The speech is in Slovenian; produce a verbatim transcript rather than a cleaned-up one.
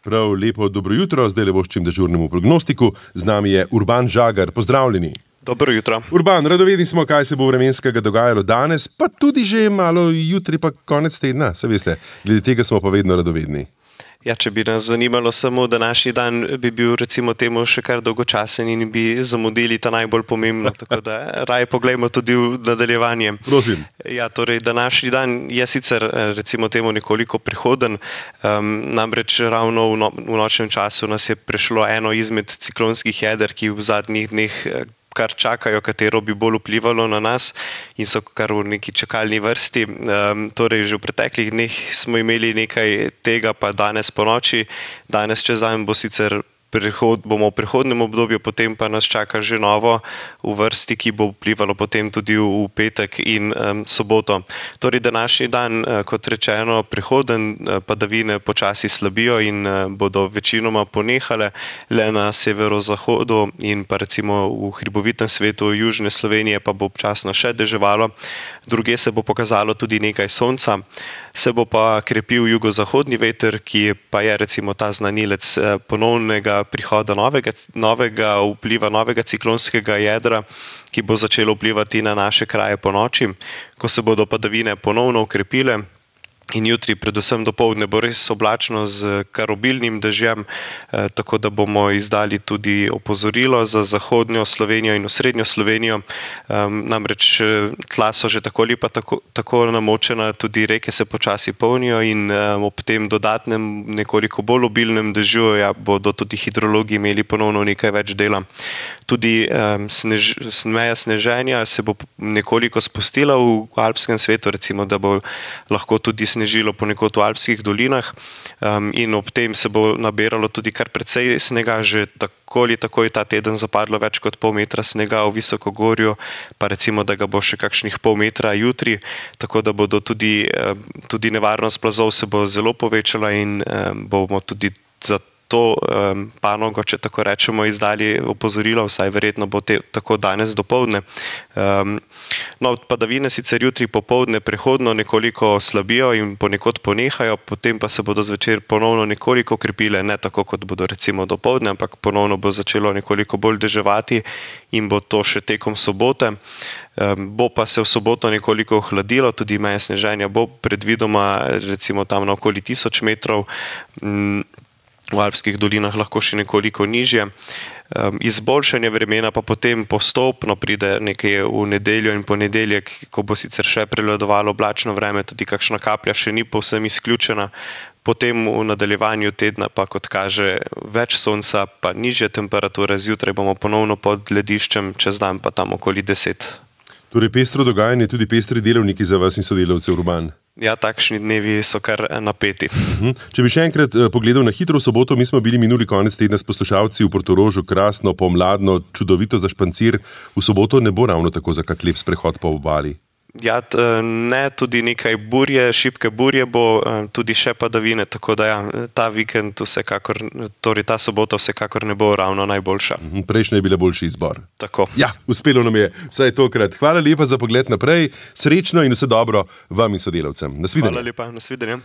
Prav lepo dobro jutro, zdaj le voščim dežurnemu prognostiku. Z nami je Urban Žagar. Pozdravljeni. Dobro jutro. Urban, radovedni smo, kaj se bo vremenskega dogajalo danes, pa tudi že malo jutri, pa konec tedna. Se veste, glede tega smo pa vedno radovedni. Ja, če bi nas zanimalo samo današnji dan, bi bil recimo temu še kar dolgočasen in bi zamudili ta najbolj pomembno, tako da raje poglejmo tudi v nadaljevanje. Prosim. Ja, torej današnji dan je sicer recimo temu nekoliko prehoden, um, namreč ravno v, no, v nočnem času nas je prešlo eno izmed ciklonskih jeder, ki v zadnjih dneh kar čakajo, katero bi bolj vplivalo na nas in so kar v neki čakalni vrsti. Um, torej, že v preteklih dneh smo imeli nekaj tega, pa danes po noči. Danes čez dan bo sicer prehod, bomo v prehodnem obdobju, potem pa nas čaka že novo v vrsti, ki bo vplivalo potem tudi v, v petek in um, soboto. Torej, današnji dan, kot rečeno, prehoden, padavine počasi slabijo in uh, bodo večinoma ponehale, le na severozahodu in pa recimo v hribovitem svetu južne Slovenije pa bo občasno še deževalo. Druge se bo pokazalo tudi nekaj sonca, se bo pa krepil jugozahodni veter, ki pa je recimo ta znanilec ponovnega prihoda novega, novega vpliva, novega ciklonskega jedra, ki bo začelo vplivati na naše kraje po noči, ko se bodo padavine ponovno ukrepile. In jutri, predvsem dopoldne, bo res oblačno z kar obilnim dežjem, eh, tako da bomo izdali tudi opozorilo za zahodnjo Slovenijo in osrednjo Slovenijo. Um, namreč tla so že tako ali pa tako, tako namočena, tudi reke se počasi polnijo in um, ob tem dodatnem, nekoliko bolj obilnem dežju ja, bodo tudi hidrologi imeli ponovno nekaj več dela. Tudi um, snež, meja sneženja se bo nekoliko spustila v alpskem svetu, recimo, da bo lahko tudi snežilo ponekod v alpskih dolinah um, in ob tem se bo nabiralo tudi kar precej snega, že tako ali tako je ta teden zapadlo več kot pol metra snega v Visokogorju, pa recimo, da ga bo še kakšnih pol metra jutri, tako da bodo tudi, um, tudi nevarnost plazov se bo zelo povečala in um, bomo tudi za to um, panogo, če tako rečemo, izdali opozorilo, vsaj verjetno bo te, tako danes dopoldne. Um, no, padavine sicer jutri popoldne prehodno nekoliko slabijo in ponekod ponehajo, potem pa se bodo zvečer ponovno nekoliko krepile, ne tako kot bodo recimo dopoldne, ampak ponovno bo začelo nekoliko bolj deževati in bo to še tekom sobote. Um, bo pa se v soboto nekoliko ohladilo, tudi meje sneženja bo predvidoma recimo tam na okoli tisoč metrov, um, v alpskih dolinah lahko še nekoliko nižje. Um, izboljšanje vremena pa potem postopno pride nekaj v nedeljo in ponedeljek, ko bo sicer še prevladovalo oblačno vreme, tudi kakšna kaplja še ni povsem izključena. Potem v nadaljevanju tedna pa, kot kaže, več sonca, pa nižje temperature, zjutraj bomo ponovno pod lediščem, čez dan pa tam okoli deset. Torej pestro dogajanje, tudi pestri delovniki za vas in sodelavce, Urban. Ja, takšni dnevi so kar napeti. Uhum. Če bi še enkrat pogledal na hitro v soboto, mi smo bili minuli konec tedna s poslušalci v Portorožu, krasno, pomladno, čudovito za špancir. V soboto ne bo ravno tako za kak lep sprehod po obali. Ja, ne, tudi nekaj burje, šibke burje bo, tudi še padavine, tako da ja, ta vikend vsekakor, torej ta sobota vsekakor ne bo ravno najboljša. Uhum. Prejšnja je bila boljši izbor. Tako. Ja, uspelo nam je vsaj tokrat. Hvala lepa za pogled naprej, srečno in vse dobro vam in sodelavcem. Nasvidenje. Hvala lepa, nasvidenje.